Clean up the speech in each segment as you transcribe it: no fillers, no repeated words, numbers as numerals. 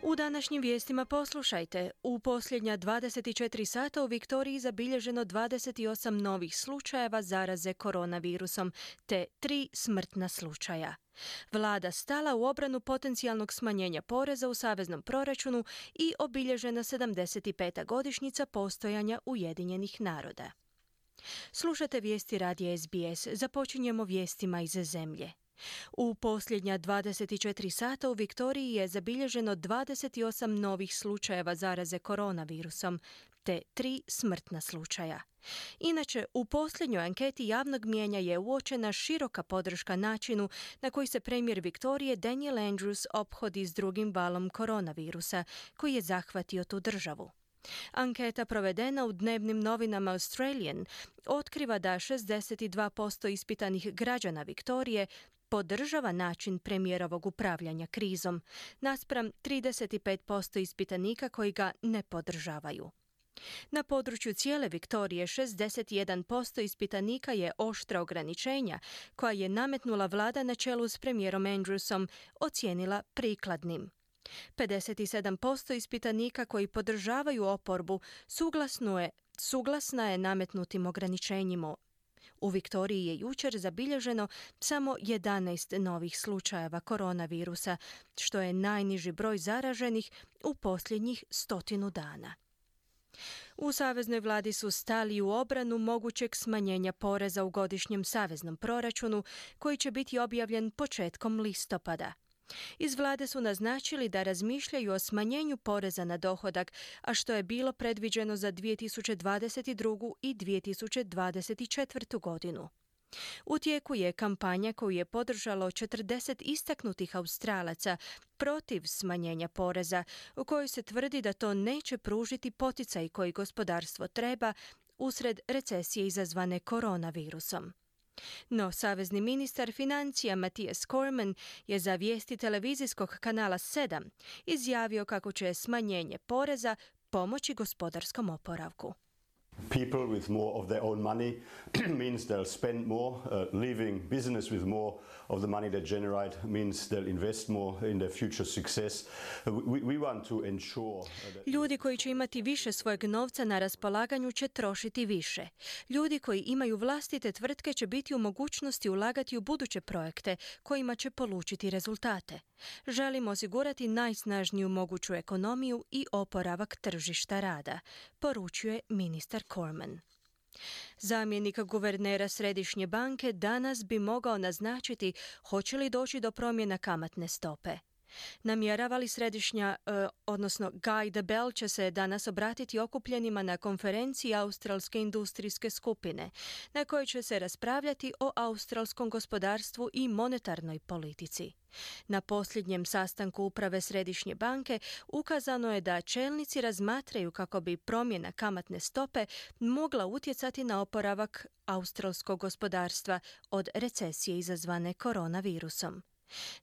U današnjim vijestima poslušajte. U posljednja 24 sata u Viktoriji zabilježeno 28 novih slučajeva zaraze koronavirusom, te 3 smrtna slučaja. Vlada stala u obranu potencijalnog smanjenja poreza u saveznom proračunu i obilježena 75. godišnjica postojanja Ujedinjenih naroda. Slušate vijesti radija SBS. Započinjemo vijestima iz zemlje. U posljednja 24 sata u Viktoriji je zabilježeno 28 novih slučajeva zaraze koronavirusom, te 3 smrtna slučaja. Inače, u posljednjoj anketi javnog mijenja je uočena široka podrška načinu na koji se premijer Viktorije Daniel Andrews ophodi s drugim valom koronavirusa koji je zahvatio tu državu. Anketa provedena u dnevnim novinama Australian otkriva da 62% ispitanih građana Viktorije podržava način premijerovog upravljanja krizom, naspram 35% ispitanika koji ga ne podržavaju. Na području cijele Viktorije 61% ispitanika je oštra ograničenja koja je nametnula vlada na čelu s premijerom Andrewsom ocijenila prikladnim. 57% ispitanika koji podržavaju oporbu suglasna je nametnutim ograničenjima. U Viktoriji je jučer zabilježeno samo 11 novih slučajeva koronavirusa, što je najniži broj zaraženih u posljednjih 100 dana. U saveznoj vladi su stali u obranu mogućeg smanjenja poreza u godišnjem saveznom proračunu koji će biti objavljen početkom listopada. Iz vlade su naznačili da razmišljaju o smanjenju poreza na dohodak, a što je bilo predviđeno za 2022. i 2024. godinu. U tijeku je kampanja koju je podržalo 40 istaknutih Australaca protiv smanjenja poreza, u kojoj se tvrdi da to neće pružiti poticaj koji gospodarstvo treba usred recesije izazvane koronavirusom. No, savezni ministar financija Matthias Cormann je za vijesti televizijskog kanala 7 izjavio kako će smanjenje poreza pomoći gospodarskom oporavku. People with more of their own money means they'll spend more. Leaving business with more of the money they generate means they'll invest more in their future success. We want to ensure that... Ljudi koji će imati više svojeg novca na raspolaganju će trošiti više. Ljudi koji imaju vlastite tvrtke će biti u mogućnosti ulagati u buduće projekte kojima će polučiti rezultate. Želimo osigurati najsnažniju moguću ekonomiju i oporavak tržišta rada, poručuje ministar Cormann. Zamjenik guvernera Središnje banke danas bi mogao naznačiti hoće li doći do promjena kamatne stope. Namjerava li Guy Debelle će se danas obratiti okupljenima na konferenciji Australske industrijske skupine, na kojoj će se raspravljati o australskom gospodarstvu i monetarnoj politici. Na posljednjem sastanku uprave Središnje banke ukazano je da čelnici razmatraju kako bi promjena kamatne stope mogla utjecati na oporavak australskog gospodarstva od recesije izazvane koronavirusom.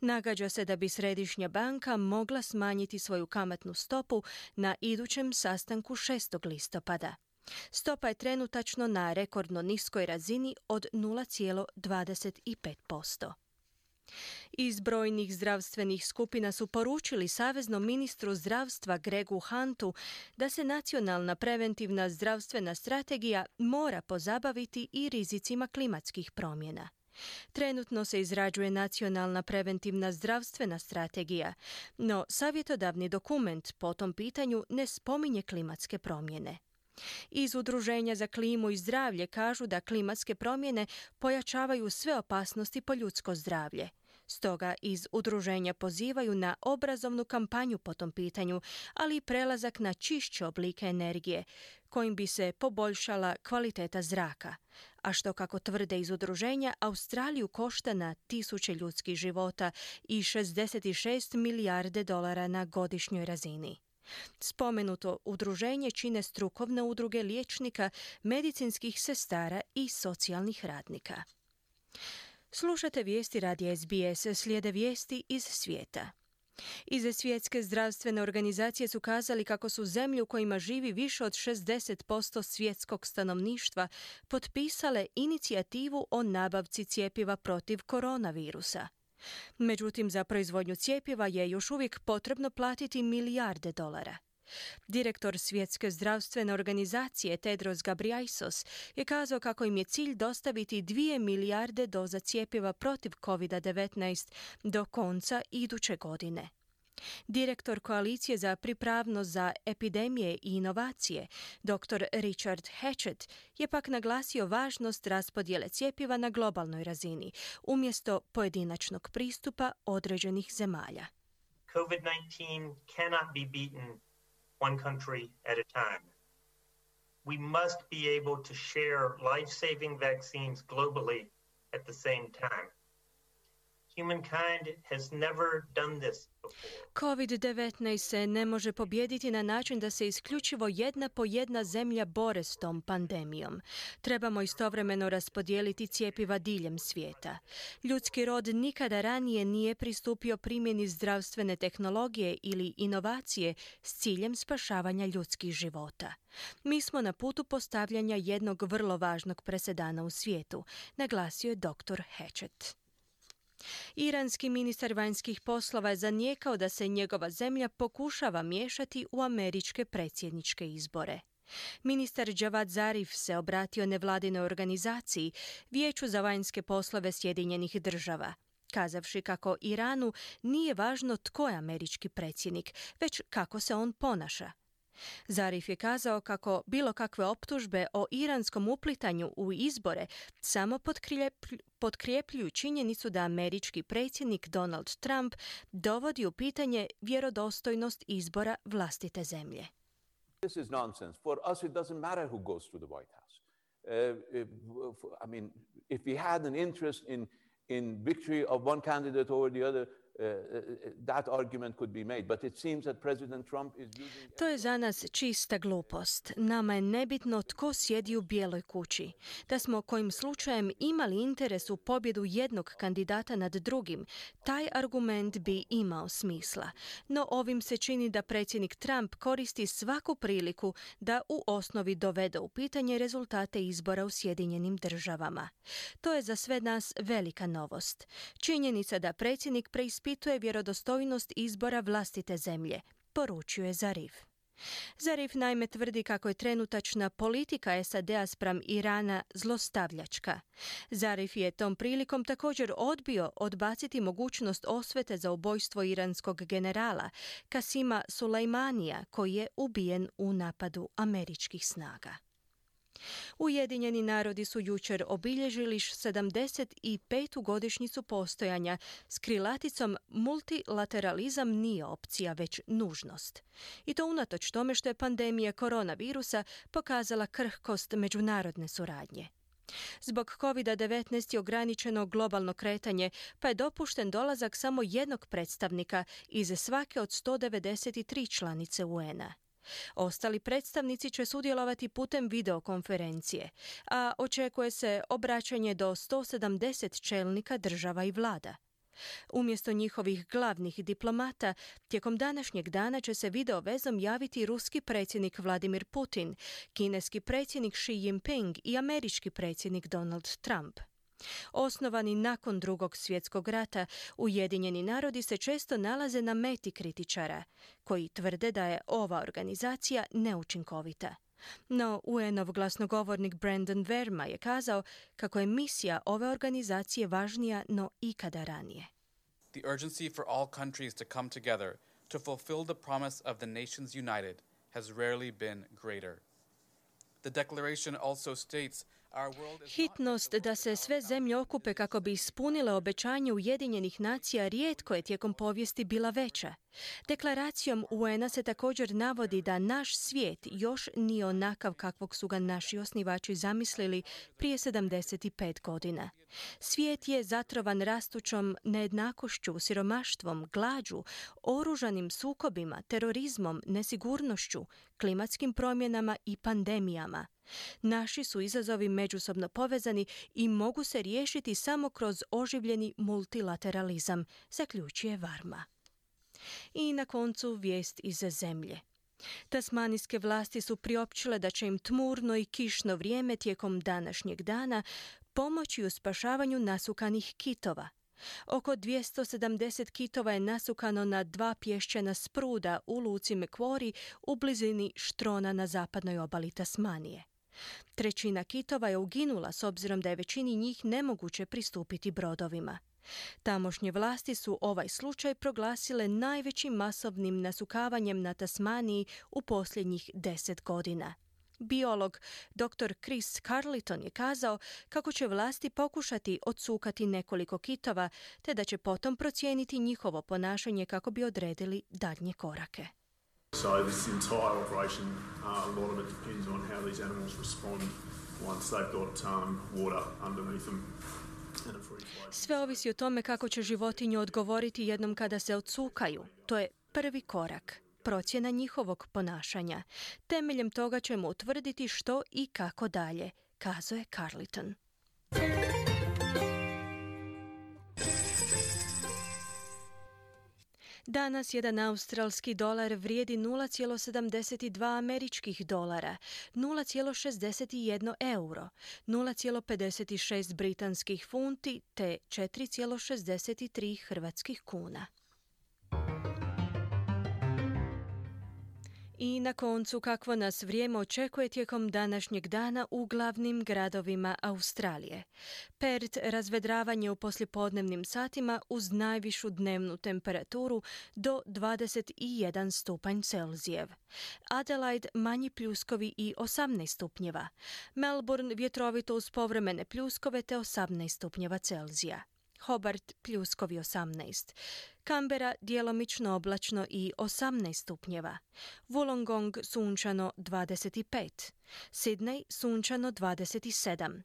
Nagađa se da bi Središnja banka mogla smanjiti svoju kamatnu stopu na idućem sastanku 6. listopada. Stopa je trenutačno na rekordno niskoj razini od 0,25%. Iz brojnih zdravstvenih skupina su poručili saveznom ministru zdravstva Gregu Huntu da se nacionalna preventivna zdravstvena strategija mora pozabaviti i rizicima klimatskih promjena. Trenutno se izrađuje nacionalna preventivna zdravstvena strategija, no savjetodavni dokument po tom pitanju ne spominje klimatske promjene. Iz Udruženja za klimu i zdravlje kažu da klimatske promjene pojačavaju sve opasnosti po ljudsko zdravlje. Stoga iz udruženja pozivaju na obrazovnu kampanju po tom pitanju, ali i prelazak na čišće oblike energije, kojim bi se poboljšala kvaliteta zraka, a što, kako tvrde iz udruženja, Australiju košta na 1000 ljudskih života i 66 milijarde dolara na godišnjoj razini. Spomenuto udruženje čine strukovne udruge liječnika, medicinskih sestara i socijalnih radnika. Slušate vijesti radija SBS, slijede vijesti iz svijeta. Iz Svjetske zdravstvene organizacije su kazali kako su zemlje u kojima živi više od 60% svjetskog stanovništva potpisale inicijativu o nabavci cjepiva protiv koronavirusa. Međutim, za proizvodnju cjepiva je još uvijek potrebno platiti milijarde dolara. Direktor Svjetske zdravstvene organizacije Tedros Ghebreyesus je kazao kako im je cilj dostaviti 2 milijarde doza cjepiva protiv COVID-19 do konca iduće godine. Direktor Koalicije za pripravnost za epidemije i inovacije, dr. Richard Hatchett, je pak naglasio važnost raspodjele cjepiva na globalnoj razini, umjesto pojedinačnog pristupa određenih zemalja. COVID-19 cannot be beaten one country at a time. We must be able to share life-saving vaccines globally at the same time. Humankind has never done this before. COVID-19 se ne može pobijediti na način da se isključivo jedna po jedna zemlja bore s tom pandemijom. Trebamo istovremeno raspodijeliti cjepiva diljem svijeta. Ljudski rod nikada ranije nije pristupio primjeni zdravstvene tehnologije ili inovacije s ciljem spašavanja ljudskih života. Mi smo na putu postavljanja jednog vrlo važnog presedana u svijetu, naglasio je dr. Hatchett. Iranski ministar vanjskih poslova je zanijekao da se njegova zemlja pokušava miješati u američke predsjedničke izbore. Ministar Javad Zarif se obratio nevladinoj organizaciji, Vijeću za vanjske poslove Sjedinjenih država, kazavši kako Iranu nije važno tko je američki predsjednik, već kako se on ponaša. Zarif je kazao kako bilo kakve optužbe o iranskom uplitanju u izbore samo potkrijepljuju činjenicu da američki predsjednik Donald Trump dovodi u pitanje vjerodostojnost izbora vlastite zemlje. This is nonsense. For us it doesn't matter who goes to the White House. If we had an interest in victory of one candidate over the other, that argument could be made, but it seems that President Trump is using... To je za nas čista glupost. Nama je nebitno tko sjedi u Bijeloj kući. Da smo kojim slučajem imali interes u pobjedu jednog kandidata nad drugim, taj argument bi imao smisla. No ovim se čini da predsjednik Trump koristi svaku priliku da u osnovi dovede u pitanje rezultate izbora u Sjedinjenim državama. To je za sve nas velika novost. Činjenica da predsjednik preispituje vjerodostojnost izbora vlastite zemlje, poručuje Zarif. Zarif naime tvrdi kako je trenutačna politika SAD-a spram Irana zlostavljačka. Zarif je tom prilikom također odbio odbaciti mogućnost osvete za ubojstvo iranskog generala Kasima Sulejmanija, koji je ubijen u napadu američkih snaga. Ujedinjeni narodi su jučer obilježili 75. godišnjicu postojanja s krilaticom multilateralizam nije opcija, već nužnost. I to unatoč tome što je pandemija koronavirusa pokazala krhkost međunarodne suradnje. Zbog COVID-19 je ograničeno globalno kretanje, pa je dopušten dolazak samo jednog predstavnika iz svake od 193 članice UN-a. Ostali predstavnici će sudjelovati putem videokonferencije, a očekuje se obraćanje do 170 čelnika država i vlada. Umjesto njihovih glavnih diplomata, tijekom današnjeg dana će se video vezom javiti ruski predsjednik Vladimir Putin, kineski predsjednik Xi Jinping i američki predsjednik Donald Trump. Osnovani nakon Drugog svjetskog rata, Ujedinjeni narodi se često nalaze na meti kritičara, koji tvrde da je ova organizacija neučinkovita. No, UN-ov glasnogovornik Brandon Verma je kazao kako je misija ove organizacije važnija no ikada ranije. The urgency for all countries to come together to fulfill the promise of the nations united has rarely been greater. The declaration also states hitnost da se sve zemlje okupe kako bi ispunile obećanje Ujedinjenih nacija rijetko je tijekom povijesti bila veća. Deklaracijom UN-a se također navodi da naš svijet još nije onakav kakvog su ga naši osnivači zamislili prije 75 godina. Svijet je zatrovan rastućom nejednakošću, siromaštvom, glađu, oružanim sukobima, terorizmom, nesigurnošću, klimatskim promjenama i pandemijama. Naši su izazovi međusobno povezani i mogu se riješiti samo kroz oživljeni multilateralizam, zaključuje Varma. I na koncu vijest iz zemlje. Tasmanijske vlasti su priopćile da će im tmurno i kišno vrijeme tijekom današnjeg dana pomoći u spašavanju nasukanih kitova. Oko 270 kitova je nasukano na 2 pješčana spruda u luci Macquarie u blizini Štrona na zapadnoj obali Tasmanije. 1/3 kitova je uginula s obzirom da je većini njih nemoguće pristupiti brodovima. Tamošnje vlasti su ovaj slučaj proglasile najvećim masovnim nasukavanjem na Tasmaniji u posljednjih 10 godina. Biolog dr. Chris Carleton je kazao kako će vlasti pokušati odsukati nekoliko kitova, te da će potom procijeniti njihovo ponašanje kako bi odredili daljnje korake. So this entire operation, a lot of it depends on how these animals respond once they've got water underneath them. Sve ovisi o tome kako će životinju odgovoriti jednom kada se odsukaju. To je prvi korak. Procjena njihovog ponašanja. Temeljem toga ćemo utvrditi što i kako dalje, kazao je Carleton. Danas jedan australski dolar vrijedi 0,72 američkih dolara, 0,61 euro, 0,56 britanskih funti te 4,63 hrvatskih kuna. I na koncu, kakvo nas vrijeme očekuje tijekom današnjeg dana u glavnim gradovima Australije. Perth razvedravanje u poslijepodnevnim satima uz najvišu dnevnu temperaturu do 21 stupanj Celzijev. Adelaide manji pljuskovi i 18 stupnjeva. Melbourne vjetrovito uz povremene pljuskove te 18 stupnjeva Celzija. Hobart pljuskovi 18. Canberra djelomično oblačno i 18 stupnjeva. Wollongong sunčano 25. Sydney sunčano 27.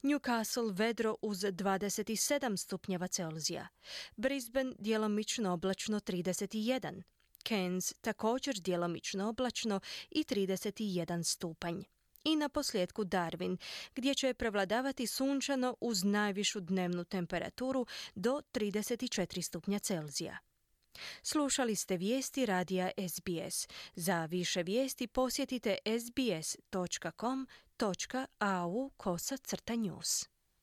Newcastle vedro uz 27 stupnjeva Celzija. Brisbane djelomično oblačno 31. Cairns također djelomično oblačno i 31 stupanj. I na posljedku Darwin, gdje će prevladavati sunčano uz najvišu dnevnu temperaturu do 34 stupnja Celzija. Slušali ste vijesti radija SBS. Za više vijesti posjetite sbs.com.au/news.